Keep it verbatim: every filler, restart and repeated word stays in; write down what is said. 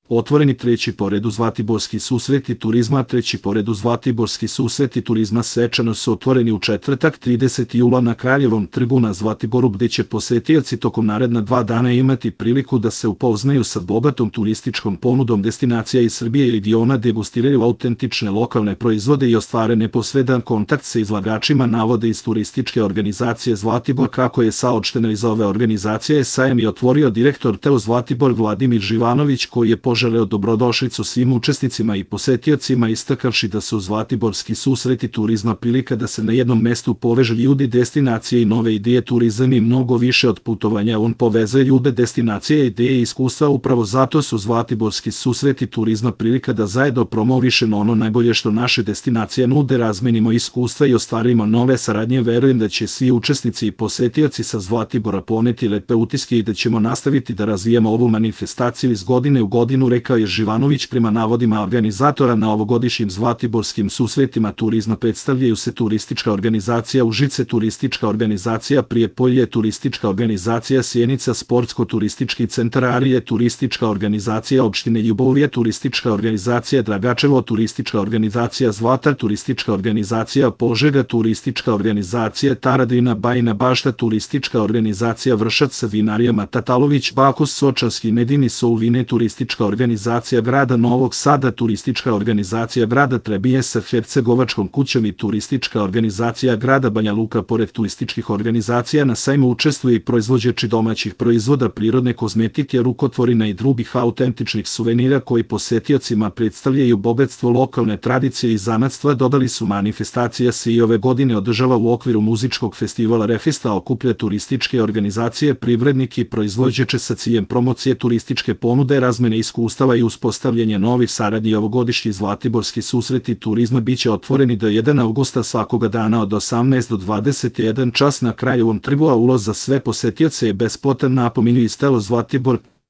Otvoreni treći po redu Zlatiborski susreti turizma. Treći po redu Zlatiborski susreti turizma svečano su otvoreni u četvrtak tridesetog jula na Kraljevom trgu na Zlatiboru, gde će posetioci tokom naredna dva dana imati priliku da se upoznaju sa bogatom turističkom ponudom destinacija iz Srbije i regiona, degustiraju autentične lokalne proizvode i ostvare neposredan kontakt sa izlagačima, navode iz turističke organizacije Zlatibor. Kako je saopšteno iz ove organizacije, sajam je otvorio direktor T E O Zlatibor Vladimir Živanović, koji je poželeo dobrodošlicu svim učesnicima i posetiocima, istakavši da su Zlatiborski susreti turizma prilika da se na jednom mestu poveže ljudi, destinacije i nove ideje. Turizam i mnogo više od putovanja, on povezuje ljude, destinacije, ideje i iskustva. Upravo zato su Zlatiborski susreti turizma prilika da zajedno promovišemo ono najbolje što naše destinacije nude, razmenimo iskustva i ostvarimo nove saradnje. Verujem da će svi učesnici i posetioci sa Zlatibora poneti lepe utiske i da ćemo nastaviti da razvijamo ovu manifestaciju iz godine u godinu, rekao je Živanović. Prema navodima organizatora, na ovogodišnjim Zlatiborskim susretima turizma predstavljaju se turistička organizacija Užice, turistička organizacija Prijepolje, turistička organizacija Sjenica, sportsko-turistički centar Arije, turistička organizacija opštine Ljubovija, turistička organizacija Dragačevo, turistička organizacija Zlatar, turistička organizacija Požega, turistička organizacija Taradina, Bajina Bašta, turistička organizacija Vršac, vinarijama Tatalović, Bakos, Sočanski Medini, Souvine, turistička organizacija grada Novog Sada, turistička organizacija grada Trebinje sa Hercegovačkom kućom i turistička organizacija grada Banja Luka. Pored turističkih organizacija na sajmu učestvuju i proizvođači domaćih proizvoda, prirodne kozmetike, rukotvorina i drugih autentičnih suvenira koji posetiocima predstavljaju bogatstvo lokalne tradicije i zanatstva. Dodali su, manifestacija se i ove godine održava u okviru muzičkog festivala Refesta, okuplja turističke organizacije, privrednike i proizvođače sa ciljem promocije turističke ponude, razmene iskustava i uspostavljanje novih saradnji. Ovogodišnji Zlatiborski susreti turizma biće otvoreni do prvog avgusta svakoga dana od osamnaest do dvadeset jedan čas na Kraljevom trgu, a ulaz za sve posetioce je besplatan, napominju iz T E O Zlatibor.